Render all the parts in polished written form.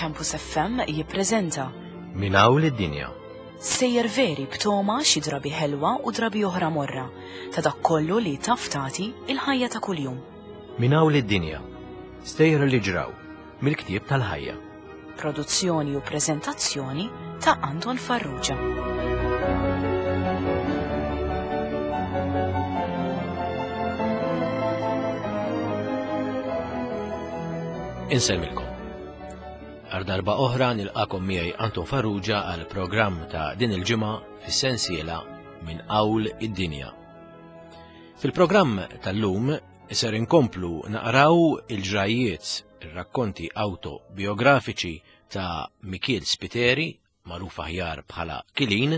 Campus FM jippreżenta Min hawn lid-dinja. Sejjer veri b'toma xi drabi ħelwa u drabi oħra morra ta' dak kollu li taf tagħti il-ħajja ta' kuljum. Min hawn lid-dinja. Stejjer li ġraw mill-ktieb tal-ħajja. Produzzjoni u preżentazzjoni ta' Anton Farrugia. Insellmilkom. Għal darba oħra nilqakom miegħi Anton Farrugia għal programm ta' din il-ġimgħa fis-sensiela minn Qawl id-Dinja. Fil-programm tal-lum ser inkomplu naqraw il-ġrajiet ir-rakkonti awtobiografiċi ta' Mikiel Spiteri, magħruf aħjar bħala Kilin,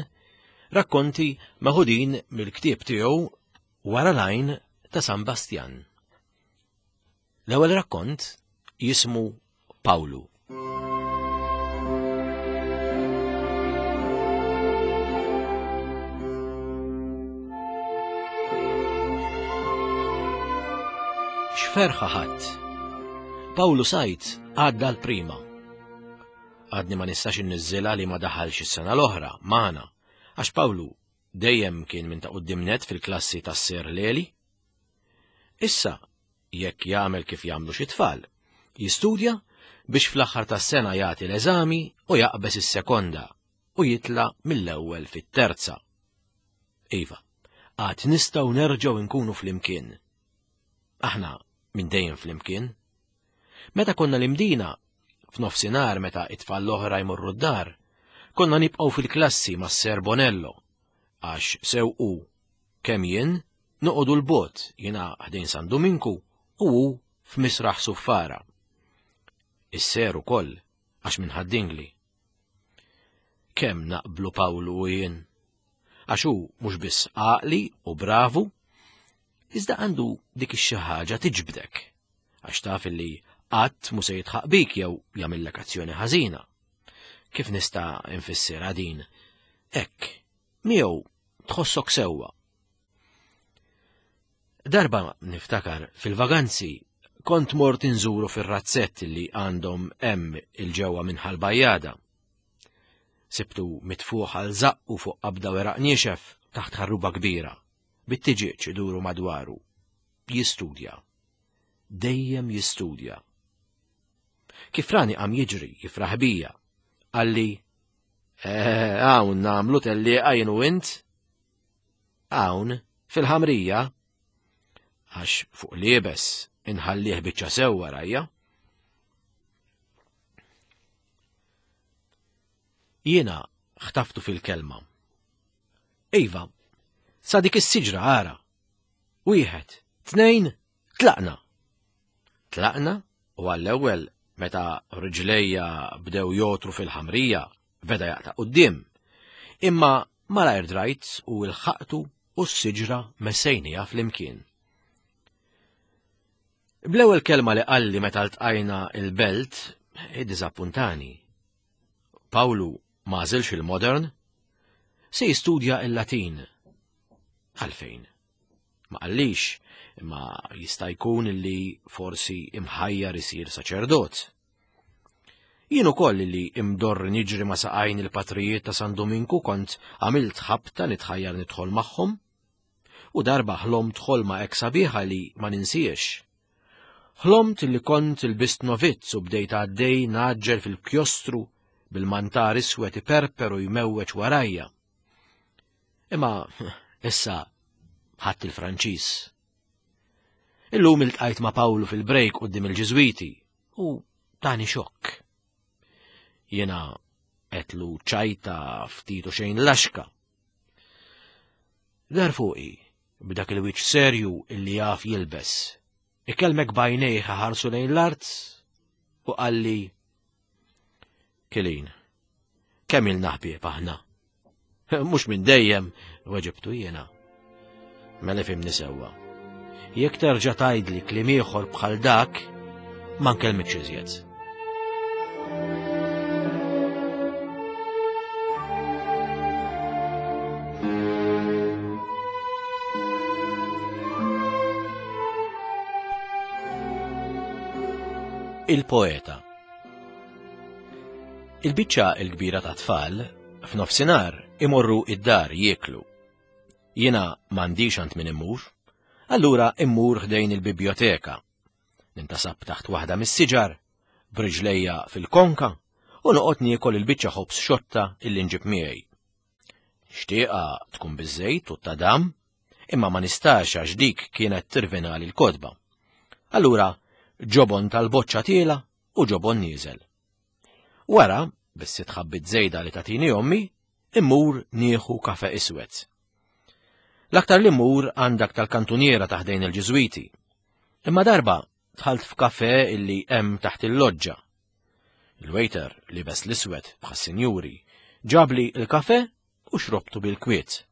rakkonti meħudin mill-ktieb tiegħu Wara l-għajn ta' San Bastjan. L-ewwel rakkont jismu Pawlu. X'ferħa ħadd. Pawlu Sajt għadda l-prima. Għadni ma nistax inniżżilha li ma daħalx is-sena l-oħra magħna, għax Pawlu dejjem kien minn ta' quddiem net fil-klassi tas-Ser Leli. Issa, jekk jagħmel kif jagħmlu xi tfal, jistudja biex fl-aħħar tas-sena jagħti l-eżami u jaqbeż is-sekonda u jitla' mill-ewwel fit-terza. Iva, għad nistgħu nerġgħu nkunu flimkien. Aħna minn dejjem flimkien. Meta konna l-imdina, f'nofsinhar meta it-tfal l-oħra jmorru d-dar, konna nibqgħu fil-klassi mas-Ser Bonello, għax sew hu kemm jien noqogħdu l-bogħod jiena ħdejn San Duminku u hu f'Misraħ Suffara. Is-ser ukoll għax minn Ħad-Dingli. Kemm naqblu Pawlu u jien. Għax hu mhux biss għaqli u bravu, iżda għandu dik ix-xi ħaġa tiġbdek għax taf li qatt mu se jitħaq bik jew jagħmillek azzjoni ħażina. Kif nista' nfissirha din? Hekk, miegħu tħossok sewwa. Darba niftakar fil-vaganzi kont mort inżuru fir-razzett li għandhom hemm il-ġewwa minn ħal-bajjada. Sibtu mitfuħ għal zaqqu fuq qabda weraq niexef taħt ħarruba kbira, bit-tiġieġ iduru madwaru. Jistudja. Dejjem jistudja. Kif rani qam jiġri, jifraħ bija. Qalli, eh, hawn nagħmlu tellieqa jien u int? Hawn, fil-ħamrija, għax fuq liebes inħallih biċċa sew warajja. Jiena ħtaftu fil-kelma. Iva, sa dik is-siġra ara. Wieħed, tnejn, tlaqna. Tlaqna u għall-ewwel meta riġlejja bdew jotru fil-ħamrija beda jaqta' quddiem. Imma malajr drajt u lħaqtu u s-siġra messejniha flimkien. Bl-ewwel kelma li qalli meta ltqajna il-belt iddiżappuntani. Pawlu ma għażilx il-modern, se jistudja il-Latin. Għalfejn? Ma qallix, imma jista' jkun li forsi imħajjar isir saċerdot. Jien ukoll li imdorr niġri ma' saqajn il-patrijiet ta' San Dominku kont għamilt ħabta nitħajjar nidħol magħhom. U darba ħlomt ħolma hekk sabiħa li ma ninsiex. Ħlomt li kont ilbist novizz u bdejt għaddej ngħaġġel fil-kjostru bil-mantar iswed iperper u jmewweġ warajja. Imma issa ħadd il-Franċiż. Illum iltqajt ma' Pawlu fil-brejk quddiem il-Ġiżwiti u tani xokk. Jiena qetlu ċajta ftit u xejn laxka. Dar fuqi b'dak il-wiċċ serju illi jaf jilbes. Ikellmek b'għajnejh ħarsu lejn l-art u qalli Kilin, kemm ilna ħbieb aħna? Mhux minn dejjem, weġibtu jiena. Mela fimni sewwa. Jekk terġa' tgħidli kliem ieħor bħal dak, ma nkellmikx iżjed. Il-poeta. Il-biċċa l-kbira ta' tfal f'nofsinhar imorru id-dar jieklu. Jiena m'għandix għand min immur, allura immur ħdejn il-bibjoteka. Nintasab taħt waħda mis-siġar, b'riġlejja fil-konka u noqgħod niekol il-biċċa ħobż xotta illi nġib miegħi. Xtieqa tkun biż-żejt u t-tadam, imma ma nistax għax dik kienet tirvinali l-kotba. Allura ġobon tal-boċċa tiela u ġobon nieżel. Wara, bis-sitt ħabbit żejda li tatini ommi, immur nieħu kafe iswed. L-aktar li mmur għandak tal-kantuniera ta' ħdejn il-Ġiżwiti. Imma darba dħalt f'kafe illi hemm taħt il-loġġa. Il-waiter libes l-iswed bħas-sinjuri ġabli il-kafe u xrobtu bil-kwiet.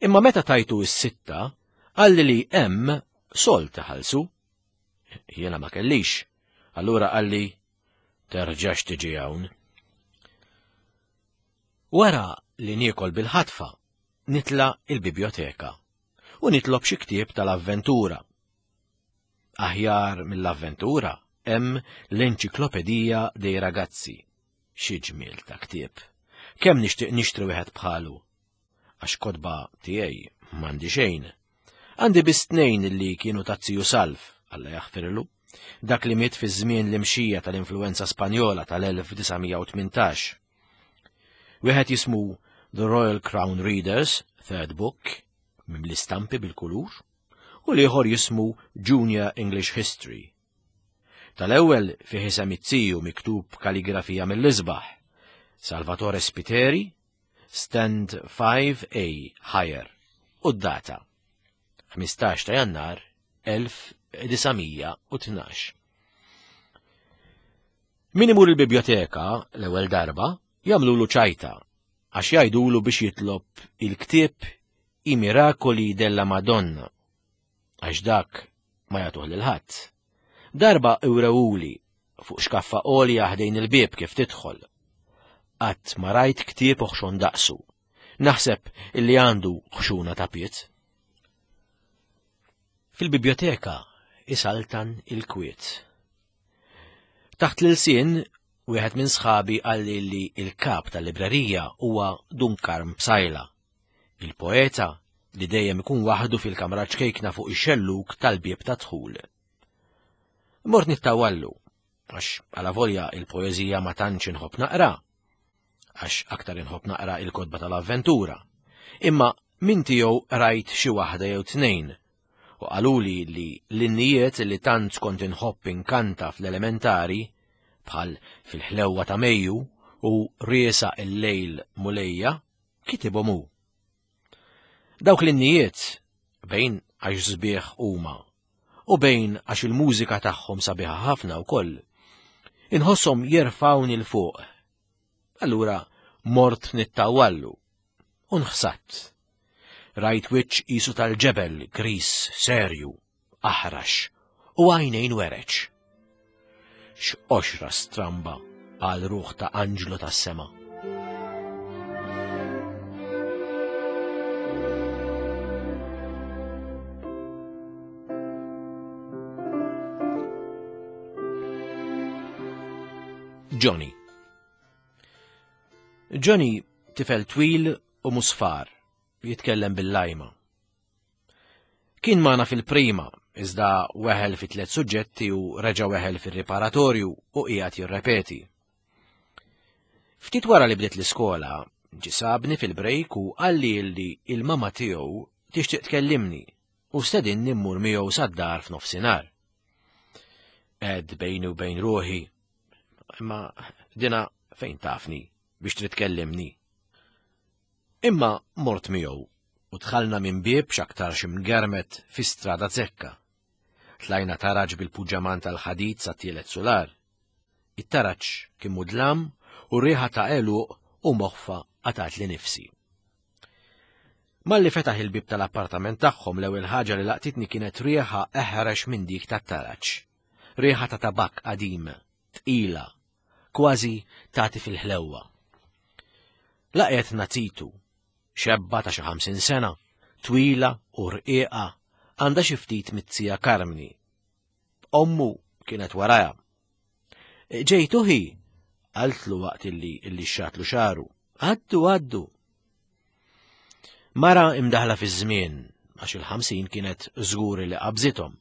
Imma meta tajtu s-sitta, qalli li hemm sol taħalsu. Jiena ma kellix. Allura qalli terġax tiġi hawn. Wara li niekol bil-ħatfa, nitla il-bibjoteka u nitlob xi ktieb tal-avventura. Aħjar mill-avventura hemm l-Enċiklopedija dei Ragazzi. Xi ġmiel ta' ktieb. Kemm nixtieq nixtri wieħed bħalu. Għax kotba tiegħi m'għandi xejn. Għandi biss tnejn li kienu ta' ziju Salv, Alla jaħfirlu, dak li miet fi żmien l-imxija tal-influenza Spanjola tal-1918. Wieħed jismu The Royal Crown Readers, Third Book, mimli stampi bil-kulur, u l-ieħor jismu Junior English History. Tal-ewwel fih isem it-tiju miktub kaligrafija mill-isbaħ, Salvatore Spiteri, Stand 5A Higher u d-data 15 ta' Jannar 1912. Min imur il-biblioteka l-ewwel darba jagħmlulu ċajta għax jgħidulu biex jitlob il-ktieb I Miracoli della Madonna għax dak ma jagħtuh lil ħadd. Darba iwrewuli fuq xkaffa għolja ħdejn il-bieb kif tidħol. Qatt ma rajt ktieb oħxon daqsu. Naħseb illi għandu ħxuna ta' piet. Fil-biblioteka isaltan il-kwiet. Taħt l-ilsien, wieħed minn sħabi qalli li il-kap tal-librerija huwa Dun Karm Psaila, il-poeta li dejjem ikun waħdu fil-kamra ċkejkna fuq ix-xellug tal-bieb ta' dħul. Mort nittawallu, għax għala volja il-poeżija ma tantx inħobb naqra, għax aktar inħobb naqra il-kotba tal-avventura. Imma min tiegħu rajt xi waħda jew tnejn u qaluli li l-innijiet li tant kont inħobb inkanta fl-elementari bħal fil-ħlewwa ta' Mejju u riesa il-lejl mulejja kitibhom hu. Dawk l-innijiet bejn għax sbieħ huma u bejn għax il-mużika tagħhom sabiħa ħafna wkoll. Inħosshom jerfgħuni 'l fuq. Allura mort nittawallu u nħsadt. Rajt wiċċ qisu tal-ġebel gris serju, aħrax u għajnejn wereċ. X'qoxra stramba għal ruħ ta' anġlu tas-sema. Johnny. Johnny tifel twil u musfar, jitkellem bil-lajma. Kien magħna fil-prima, iżda weħel fi tliet suġġetti u reġa' weħel fir-riparatorju u qiegħed jirrepeti. Ftit wara li bdiet l-iskola, ġie sabni fil-brejk u qalli li il-mama tiegħu tixtieq tkellimni u stedinni mmur miegħu sad-dar f'nofsinhar. Ed bejni u bejn ruħi, imma dina fejn tafni biex trid tkellimni. Imma mort miegħu u dħalna minn bieb x'aktarx imgermet fi strada zekka. Tlajna taraġ bil-puġġaman tal-ħadid sa tielet sular. It-taraġ kien mudlam u r-riħa ta' għeluq u moħfa qatgħatli nifsi. Malli fetaħ il-bieb tal-appartament tagħhom l-ewwel ħaġa li laqtitni kienet riħa eħrex minn dik tat-taraġ. Riħa ta' tabakk qadim, tqila, kważi tagħti fil-ħlewwa. Laqgħet Nazitu, xebba ta' xi 50 sena, twila u rqiqa, għandha xi ftit mit-tija Karmni. Ommu kienet warajha. Ġejtu hi? Qaltlu waqt illi illi xatlu xaru. Għaddu, għaddu. Mara imdaħla fiż-żmien għax il-50 kienet żgur li qabżithom.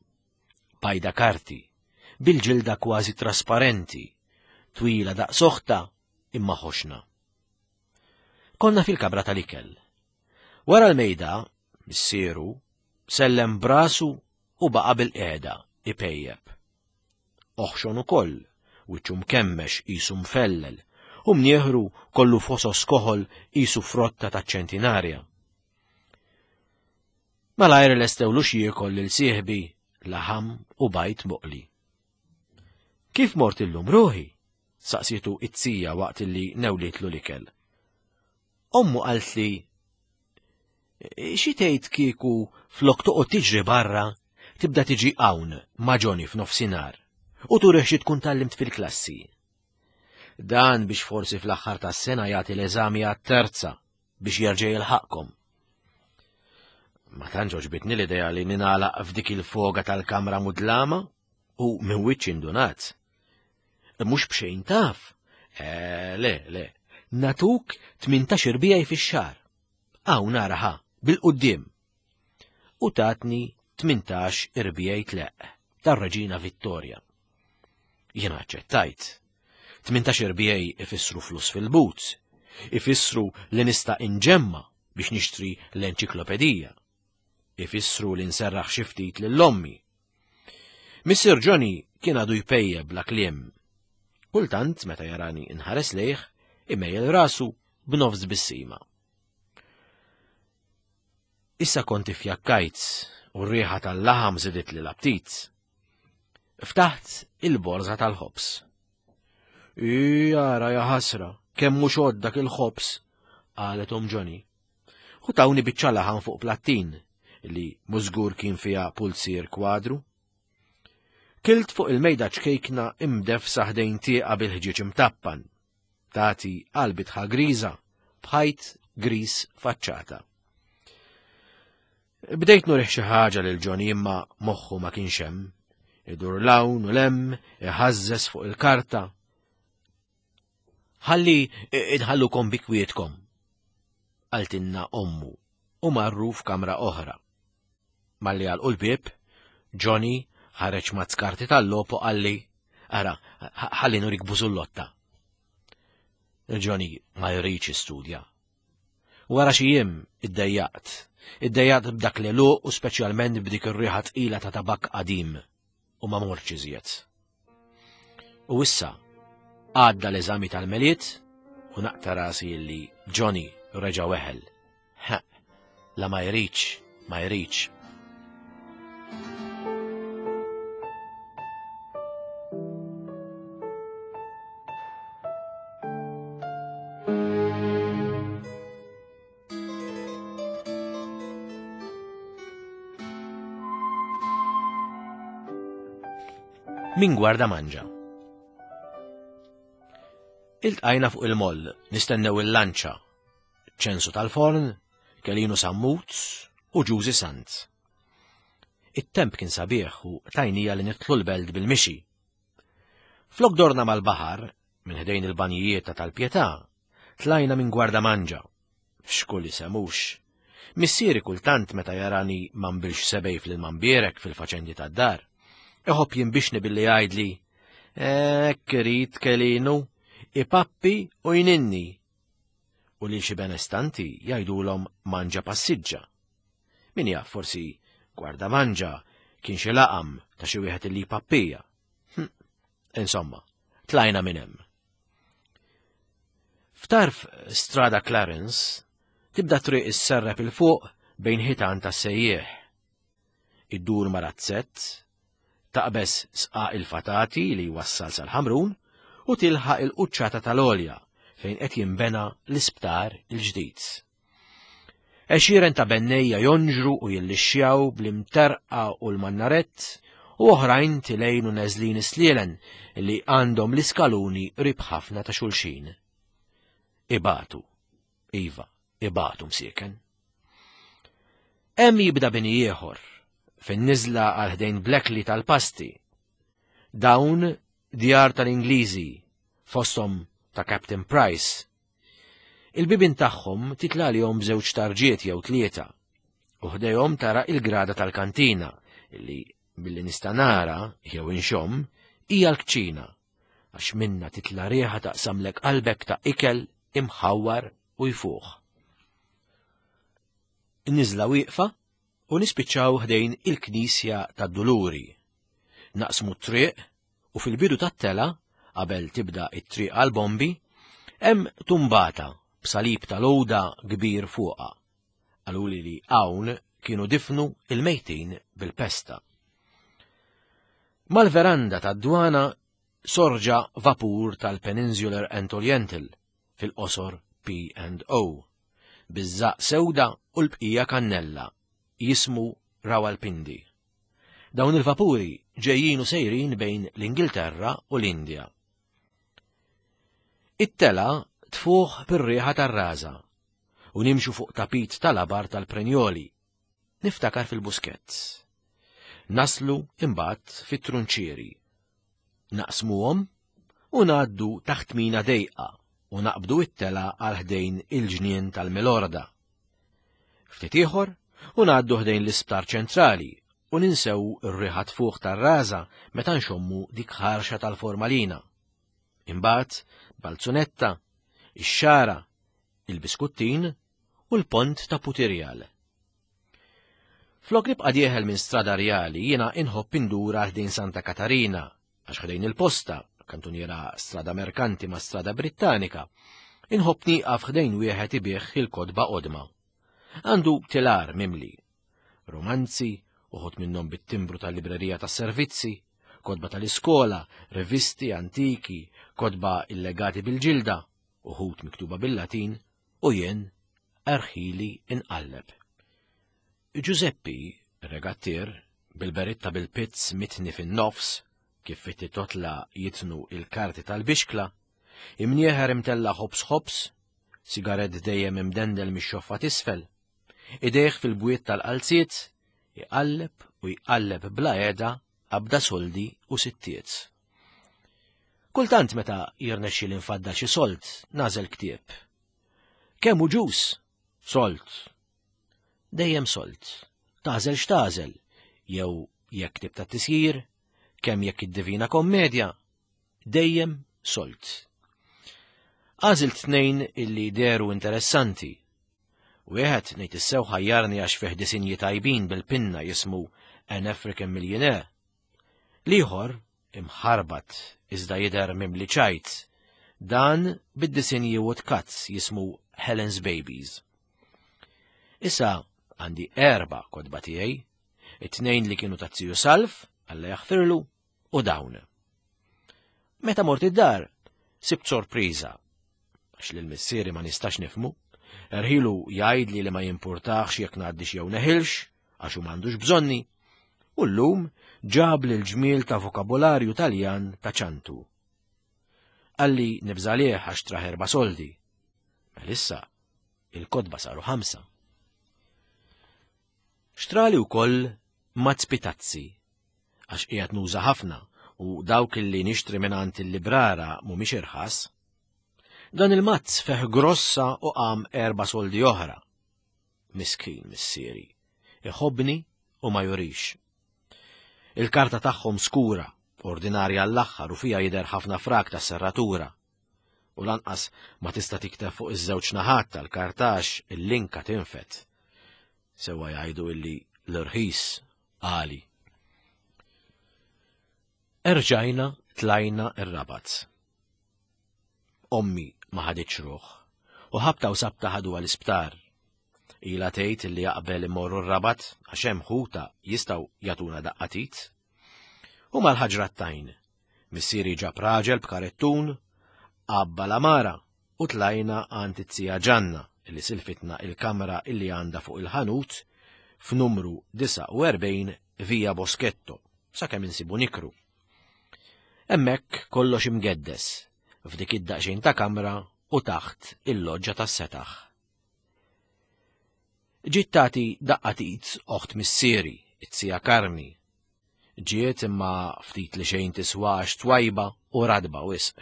Bajda karti, bil-ġilda kważi trasparenti, twila daqs oħta imma ħoxna. Konna fil-kamra tal-ikel. Wara l-mejda, missieru, sellem brasu u baqa' bil-qiegħda ipejjep. Oħxon ukoll, wiċċu mkemmex qisu mfellel, u mnieħru kollu fosos koħol qisu frotta taċ-ċentinarja. Malajr lestewlu x'jiekol lil sieħbi laħam u bajd moqli. Kif mort illum ruħi? saqsietu it-tija waqt li newlietlu l-ikel. Ommu qaltli xi tgħid kieku flok toqgħod tiġri barra tibda tiġi hawn ma' Johnny f'nofsinhar u turih xi tkun tallimt fil-klassi. Dan biex forsi fl-aħħar tas-sena jagħti l-eżami għat-terza biex jerġa' jilħaqkom. Ma tantx għoġbitni l-idea li ninagħlaq f'dik il-foga tal-kamra mudlama u minn wiċċ indunat. Mhux b'xejn taf. Eh, le, le. Natuk 18 irbijaj fix-xahar. Hawn naraha, bil-quddiem. U tatni 18 irbijaj tleq tar-Reġina Vittoria. Jiena aċċettajt. 18 irbijaj ifissru flus fil-but, ifissru li nista' inġemma biex nixtri l-enċiklopedija. Ifissru li nserraħ xi ftit lil ommi Missier Johnny kien għadu jpejjeb bla kliem. Kultant, meta jarani nħares lejh, imejjel rasu b'nofs bissima. Issa kont ifjakkajt u r-riħa tal-laħam żiditli l-aptit. Ftaħt il-borża tal-ħobż. Jara ja ħasra, kemm mhux dak il-ħobż, qalet om Johnny. U tawni biċċa laħam fuq plattin li mużgur kien fiha pulzier kwadru. Kilt fuq il-mejda ċkejkna imdefsa ħdejn tieqa bil-ħġieġ imtappan. Tati għal bitħa griża b'ħajt griż faċċata. Bdejt nurih xi ħaġa lil Johnny imma moħħu ma kienx hemm. Idur l-hawn u l-hemm, iħażżes fuq il-karta. Ħalli inħallukom bi kwietkom, qaltilna ommu u marru f'kamra oħra. Malli għalqu l-bieb, Johnny ħareġ mazz karti tal-logħob u qalli, ara, ħalli nurik bużullotta. Johnny ma jridx jistudja. Wara xi jiem iddejjaqt. Iddejjaqt b'dak l-għeluq u speċjalment b'dik ir-riħa tqila ta' tabakk qadim u ma mortx iżjed. U issa għadda l-eżami tal-Milied u naqta' rasi illi Johnny reġa' weħel. Ħa, la ma jridx, ma jridx. Min gwarda manġa. Iltqajna fuq il-moll, nistennew il-lanċa, ċensu tal-forn, Kelinu Sammut u Ġużi Sant. It-temp kien sabiħ u tajnija li nitlu l-belt bil-mixi. Flok dorna mal-baħar, minn ħdejn il-banjijiet ta' tal-Pietà, tlajna minn Gwardamanġa. X'kull isem hux. Missieri kultant meta jarani ma nbilx sebej fl-ilma mbierek fil-faċendi tad-dar, iħobb jinbixni billi jgħidli, Hekk irid Kelinu, ipappi u jninni. U lil xi benestanti jgħidulhom manġa passiġġa. Min jaf forsi Gwardamanġa kien xi laqam ta' xi wieħed illi jpappija. Hm, insomma, tlajna minn hemm. F'tarf Strada Clarence tibda triq isserrep il fuq bejn ħitan ta' sejjieħ. Iddur ma' razzett, taqbeż sqaq il-fatati li jwassal sal-Ħamrun u tilħaq il-quċċata tal-għolja fejn qed jinbena l-isptar il-ġdid. Għexieren ta' bennejja jonġru u jillixxjaw bl-imterqa u l-mannarett u oħrajn tilejn u neżlin is-slielen li għandhom l-iskaluni qrib ħafna ta' xulxin. Ibatu. Iva, ibatu msieken. Hemm jibda bini ieħor, fin-niżla għal ħdejn Blackley tal-Pasti. Dawn djar tal-Ingliżi, fosthom ta' Captain Price. Il-bibien tagħhom titla' għalihom b'żewġ tarġiet jew tlieta, u ħdejhom tara il-grada tal-kantina, li billi nista' nara jew inxomm hija l-kċina, għax minna titla' riħa taqsamlek qalbek ta' ikel imħawwar u jfuħ. Niżla wieqfa u nispiċċaw ħdejn il-Knisja tad-Duluri. Naqsmu t-triq u fil-bidu tat-tela, qabel tibda it-triq għal-bombi, hemm tumbata b'salib tal-għuda kbir fuqha. Qaluli li hawn kienu difnu il-mejtin bil-pesta. Mal-veranda tad-dwana sorġa vapur tal-Peninsular and Oriental, fil-qosor P&O, biż-żaqq sewda u l-bqija kannella, jismu Rawalpindi. Dawn il-vapuri ġejjin u sejrin bejn l-Ingilterra u l-Indja. It-tela tfuħ bir-riħa tar-raża u nimxu fuq tapit tal-abar tal-Prenjoli. Niftakar fil-Buskett. Naslu imbagħad fit-Trunċieri. Naqsmuhom u ngħaddu taħt mina dejqa u naqbdu it-tela għal ħdejn il-ġnien tal-Milorda. Ftit ieħor u ngħaddu ħdejn l-Isptar Ċentrali u ninsew ir-riħa tfuħ tar-raża meta nxommu dik ħarxa tal-formalina. Imbagħad Balzunetta, ix-Xagħra, il-Biskuttin u l-Pont ta' Putirjal. Flok nibqa' dieħel minn Strada Rjali jiena inħobb indur għal ħdejn Santa Katarina għax ħdejn il-posta, kantuniera Strada Merkanti ma' Strada Brittanika, inħobb nieqaf ħdejn wieħed ibigħ il-kotba qodma. Għandu tilar mimli. Romanzi, uħud minnhom bit-timbru tal-librerija tas-servizzi, kotba tal-iskola, rivisti antiki, kotba illegati bil-ġilda, uħud miktuba bil-Latin, u jien erħili inqalleb. Ġużeppi, regattier, bil-beritta bil-pizz mitni fin-nofs, kif fit-titotla jitnu il-karti tal-bixkla, imnieħer imtella ħobż ħobż, sigarett dejjem imdendel mix-xoffa t'isfel, idejh fil-bwiet tal-qalziet, iqalleb u jqalleb bla qiegħda qabda soldi u sittiet. Kultant meta jirnexxi nfaddal xi sold, nagħżel ktieb. Kemm hu ġus? Sold. Dejjem sold. Tagħżel x'tagħżel, jew jekk ktieb ta' tisjir, kemm jekk id-Divina Kommedja, dejjem sold. Għażilt tnejn illi deru interessanti. Wieħed ngħid issew ħajjarni għax fih disinji tajbin bil-pinna jismu An African Millionaire. L-ieħor imħarbat iżda jidher mimli ċajt, dan bid-disinji woodcuts jismu Helen's Babies. Issa għandi erba' kotba tiegħi, it-tnejn li kienu ta' Ziju Salv, Alla jaħfirlu, u dawn. Meta mort id-dar, sibt sorpriża, għax lil missieri ma nistax nifmu, erħilu jgħidli li ma jimpurtax jekk ngħaddix jew neħilx, għax hu m'għandux bżonni, u llum ġab l ġmiel ta' vokabolarju Taljan ta' ċantu. Qalli nibżalih għax traħ erba' soldi. Melissa, il-kotba saru ħamsa. Xtrali wkoll mazz pitazzi, għax qiegħed nuża ħafna u dawk li nixtri mingħand il-librara mhumiex irħas. Dan il-mazz feh grossa u qam erba' soldi oħra. Miskin missieri, iħobbni u ma jurix. Il-karta tagħhom skura, ordinarja għall-aħħar u fiha jidher ħafna frak ta' serratura. U lanqas ma tista' tikteb fuq iż-żewġ naħat tal-kartax il-linka tinfet. Sewwa jgħidu illi l-irħis għali. Erġajna tlajna ir-Rabat. Ommi ma ħaditx ruħ u ħabta u sabta ħaduha l-isptar. Ilha tgħid li jaqbel imorru r-Rabat għax hemm ħuta jistgħu jagħtuna daqqa tit. U mal-ħaġra t-tajn. Missieri ġab raġel b'karettun, għabba l-għamara u tlajna għand it-tija Ġanna li silfitna il-kamra illi għandha fuq il-ħanut f'numru 49 Via Boschetto sakemm insibu nikru. Hemmhekk kollox imgeddes f'dik id-daqsxejn ta' kamra u taħt il-loġġa tas-setaħ. Ġiet tagħti daqqa t'id oħt missieri, it-tija Karmi. Ġiet imma ftit li xejn tiswa għax twajba u radba wisq.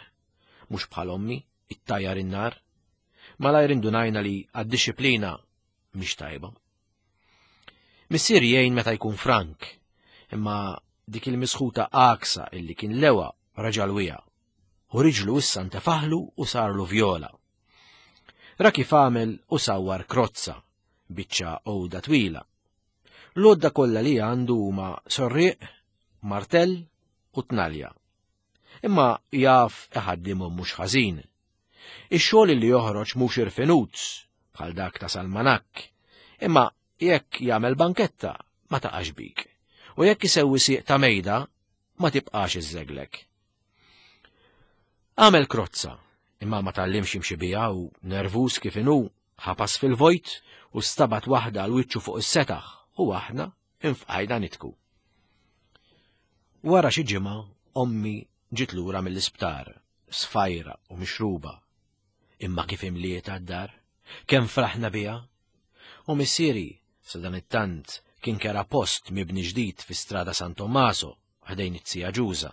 Mhux bħal ommi, ittajjar in-nar. Malajr indunajna li għad-dixxiplina mhix tajba. Missier jgħin meta jkun frank, imma dik il-misħuta għaksa illi kien lewa raġal wija. U riġlu issa ntefaħlu u sarlu vjola. Ra kif għamel u sawwar krozza, biċċa għoda twila. L-għodda kollha li għandu huma sorrieq, martell u tnalja. Imma jaf iħaddimhom mhux ħażin. Ix-xogħol li joħroġ mhux irfinut bħal dak ta' Salmanak, imma jekk jagħmel banketta ma taqax bik. U jekk isewwi sieq ta' mejda ma tibqax iżżeglek. Għamel krozza, imma ma tgħallimx jimxi biha u nervuż kif inhu ħapas fil-vojt u stabat waħda għal wiċċu fuq is-setaħ u aħna infqajna nitku. Wara xi ġimgħa ommi ġiet lura mill-isptar, sfajra u mixruba. Imma kif imliet għad-dar, kemm fraħna biha. U missieri, sa dan it-tant, kien kera post mibni ġdid fi strada San Tommaso, ħdejn it-sija Ġuża.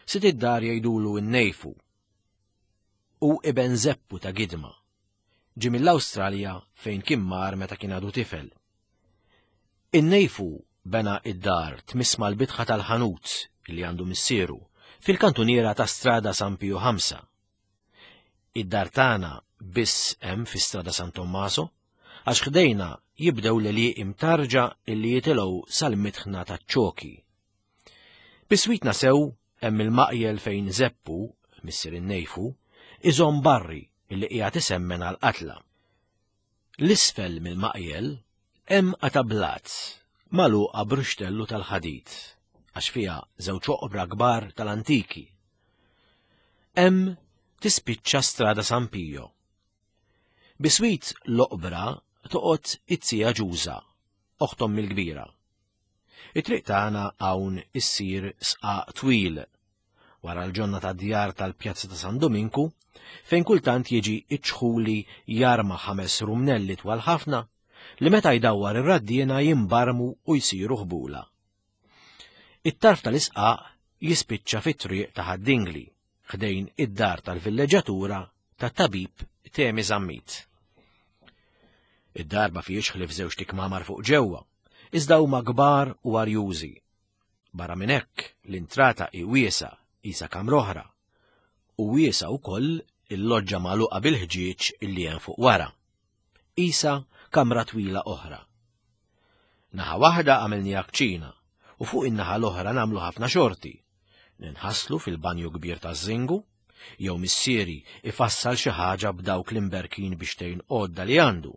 Sid id-dar jgħidulu n-nejfu. U iben Zeppu ta' Gidma. Ġie mill-Awstralja fejn kien mar meta kien għadu tifel. In-nejfu bena id-dar tmiss mal-bitħa tal-ħanut li għandu missieru fil-kantuniera ta' Strada San Pio 5. Id-dar tagħna biss hemm fi Strada San Tommaso għax ħdejna jibdew l-għelieqi mtarġa illi jitilgħu sal-mitħna taċ-ċoki. Biswitna sew hemm il-maqjel fejn Zeppu, missier in-nejfu, iżomm barri illi qiegħed isemmen għall-qatla. L-isfel mill-maqjel hemm qata' blat magħluqa b'ruxtellu tal-ħadid għax fiha żewġ oqbra kbar tal-antiki. Hemm tispiċċa Strada San Pio. Biswit l-oqbra toqgħod it-tija Ġuża, oħt ommi l-kbira. It-triq tagħna hawn issir sqaq twil wara l-ġonna ta' djar tal-Pjazza ta' San Dominku, fejn kultant jiġi iċ-ċħuli jarma ħames rumnelli twal ħafna li meta jdawwar ir-raddiena jimbarmu u jsiru ħbula. It-tarf tal-isqaq jispiċċa fit-triq ta' Ħad-Dingli, ħdejn id-dar tal-villeġġatura tat-tabib Temi Zammit. Id-dar ma fihiex ħlief żewġ tikmamar fuq ġewwa, iżda huma kbar u arjużi. Barra minn hekk, l-intrata hi wiesgħa qisha kamra oħra, u wiesgħa wkoll il-loġġa magħluqa bil-ħġieġ illi hemm fuq wara. Qisha kamra twila oħra. Naħa waħda għamilniha kċina u fuq in-naħa l-oħra nagħmlu ħafna xorti. Ninħaslu fil-banju kbir taż-żingu, jew missieri ifassal xi ħaġa b'dawk l-imberkin biex tgħin għodda li għandu.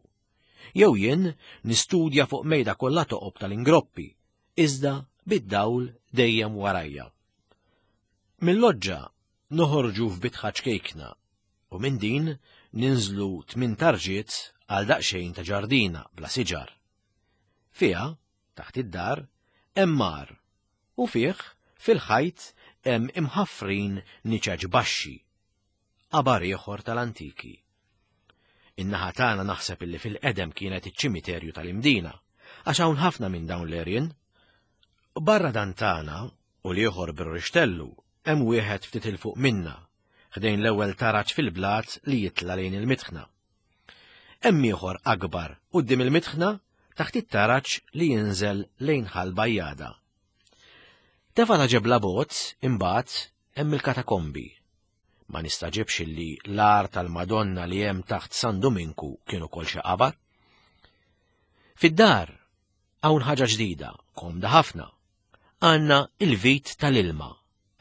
Jew jien nistudja fuq mejda kollha toqob tal-ingroppi, iżda bid-dawl dejjem warajja. Mill-loġġa noħorġu f'bitħa ċkejkna u minn din ninżlu tmin tarġiet għal daqsxejn ta' ġardina bla siġar. Fiha, taħt id-dar, hemm mar u fih fil-ħajt hemm imħaffrin niċeċ baxxi. Qabar ieħor tal-antiki. In-naħa tagħna naħseb illi fil-qedem kienet iċ-ċimiterju tal-Imdina, għax hawn ħafna minn dawn l-għerien. Barra dan tagħna u l-ieħor bir-rixtellu hemm wieħed ftit 'il fuq minna, ħdejn l-ewwel taraġ fil-blat li jitla' lejn il-mitħna. Hemm ieħor akbar quddiem il-mitħna taħt it-taraġ li jinżel lejn Ħal Bajjada. Tefa' ta' ġebla bogħod imbagħad hemm il-katakombi. Ma nistagħġibx illi l-għar tal-Madonna li hemm taħt San Duminku kien ukoll xi qabar. Fid-dar hawn ħaġa ġdida, komda ħafna. Għandna il-vit tal-ilma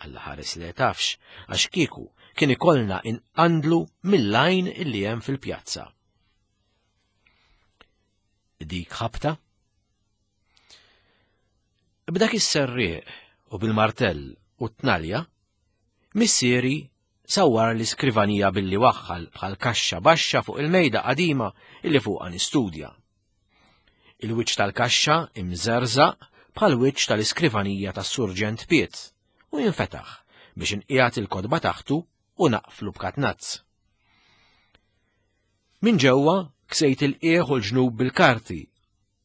Alla ħares le tafx, għax kieku kien ikollna inqandlu mill-għajn illi hemm fil-pjazza. Dik ħabta? B'dak is-serrieq u bil-martell u t-tnalja, missieri sawwar l-iskrivanija billi waħħal bħal kaxxa baxxa fuq il-mejda qadima illi fuqha nistudja. Il-wiċċ tal-kaxxa imżerżaq bħal wiċċ tal-iskrivanija tas-Surġent Piet u jinfetaħ biex inqiegħed il-kotba taħtu u naqflu b'katnazz. Minn ġewwa ksejt il-qiegħ u l-ġnub bil-karti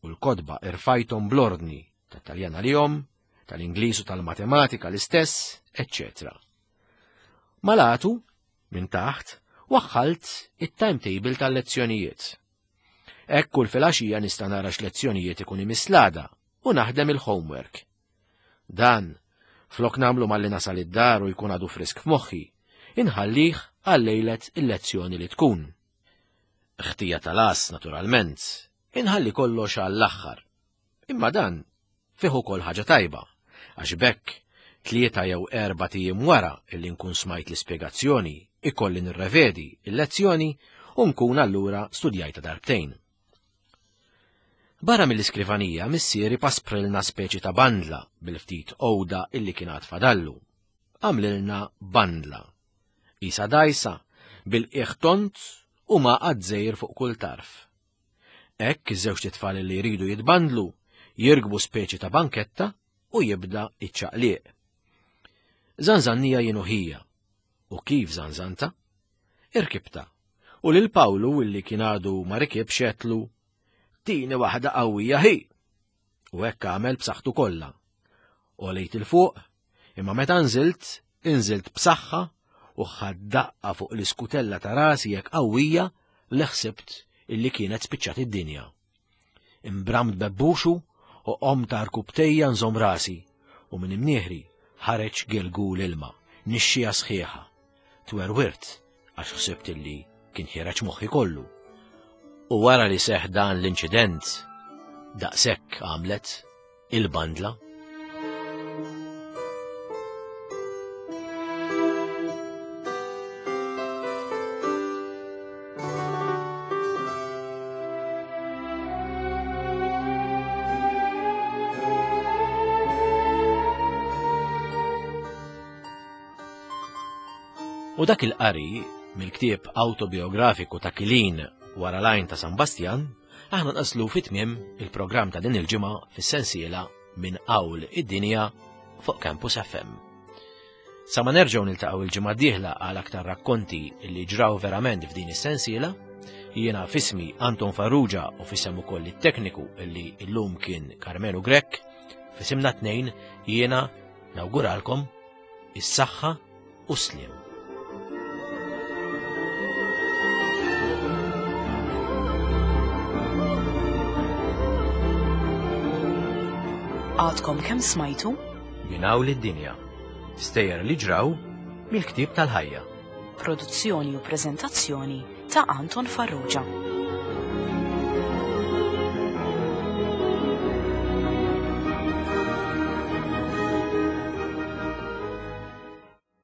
u l-kotba irfajthom bl-ordni tat-Taljan għalihom, tal-Ingliż u tal-Matematika l-istess, eċċetera. Malatu. Minn taħt, waħħalt it-timetable tal-lezzjonijiet. Hekk kull filgħaxija nista' nara x'lezzjonijiet ikun imiss l-għada u naħdem il-homework. Dan, flok nagħmlu malli nasal id-dar u jkun għadu frisk f'moħħi, inħallih għal lejlet il-lezzjoni li tkun. Ħtija tal-għas, naturalment, inħalli kollox għall-aħħar. Imma dan fih ukoll ħaġa tajba, għax b'hekk tlieta jew erbat ijiem wara illi nkun smajt l-ispjegazzjoni ikolli nirrevedi l-lezzjoni u nkun allura studjajtha darbtejn. Barra mill-iskrivanija missieri pasprilna speċi ta' bandla bil-ftit għoda illi kien għad fadallu. Għamlilna bandla. Qisha dgħajsa, bil-qiegħ tond u mgħaqqad żgħir fuq kull tarf. Hekk iż-żewġt itfal li jridu jitbandlu jirkbu speċi ta' banketta u jibda iċ-ċaqliq. Żanżannija jien u ħija. U kif żanżanta? Irkibta. U lil Pawlu illi kien għadu ma rikibx għedtlu, Tini waħda qawwija ħi! U hekk għamel b'saħħtu kollha. Għolejt 'il fuq, imma meta nżilt, inżilt b'saħħa u ħadt daqqa fuq l-iskutella ta' rasi hekk qawwija li ħsibt illi kienet spiċċat id-dinja. Imbramt bebbuxu u qomt għarkupptejja nżomm rasi u minn imnieħri ħareġ gelgul ilma, nixxija sħiħa. Twerwirt għax ħsibt illi kien ħiereġ moħħi kollu. U wara li seħħ dan l-inċident, daqshekk għamlet il-bandla. U dak il-qari mill-ktieb awtobiografiku ta' Kilin wara l-għajn ta' San Bastjan, aħna nqaslu fi tmiem il-programm ta' din il-ġimgħa fis-sensiela minn Qawl id-Dinja fuq Campus FM. Sa ma nerġgħu niltaqgħu il-ġimgħa d-dieħla għal aktar rakkonti li ġraw verament f'din is-sensiela, jiena fismi Anton Farrugia u fisem ukoll it-tekniku li llum kien Carmelo Grech, fisimna tnejn jiena nawguralkom is-saħħa u s-sliem. Għadkom kemm smajtu? Minn hawn lid-dinja. Stejjer li ġraw mill-ktieb tal-ħajja. Produzzjoni u preżentazzjoni ta' Anton Farrugia.